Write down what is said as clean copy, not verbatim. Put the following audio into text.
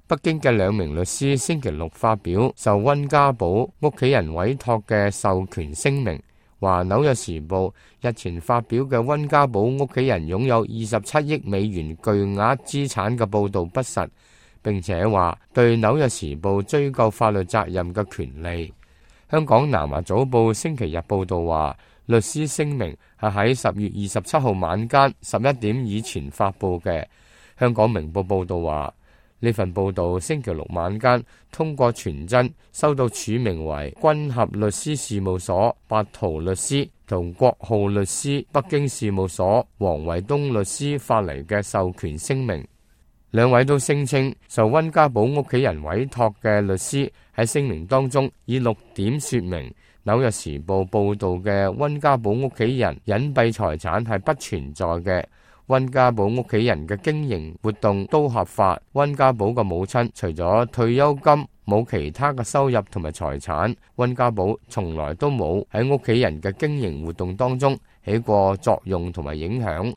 北京嘅兩名律師星期六發表受溫家寶屋企人委託嘅授權聲明，話《紐約時報》日前發表嘅溫家寶屋企人擁有27億美元巨額資產嘅報導不實，並且話對《紐約時報》追究法律責任嘅權利。香港南華早報星期日報導話，律師聲明係喺10月27號晚間11點以前發布嘅。香港明報報導話，呢份報導星期六晚間通過傳真收到署名為君合律師事務所白圖律師同國浩律師北京事務所黃維東律師發嚟嘅授權聲明。兩位都聲稱受溫家寶屋企人委託嘅律師喺聲明當中以6點說明紐約時報報導嘅溫家寶屋企人隱蔽財產係不存在嘅。溫家寶屋企人嘅經營活動都合法。溫家寶嘅母親除咗退休金，冇其他嘅收入同埋財產。溫家寶從來都冇喺屋企人嘅經營活動當中起過作用同埋影響。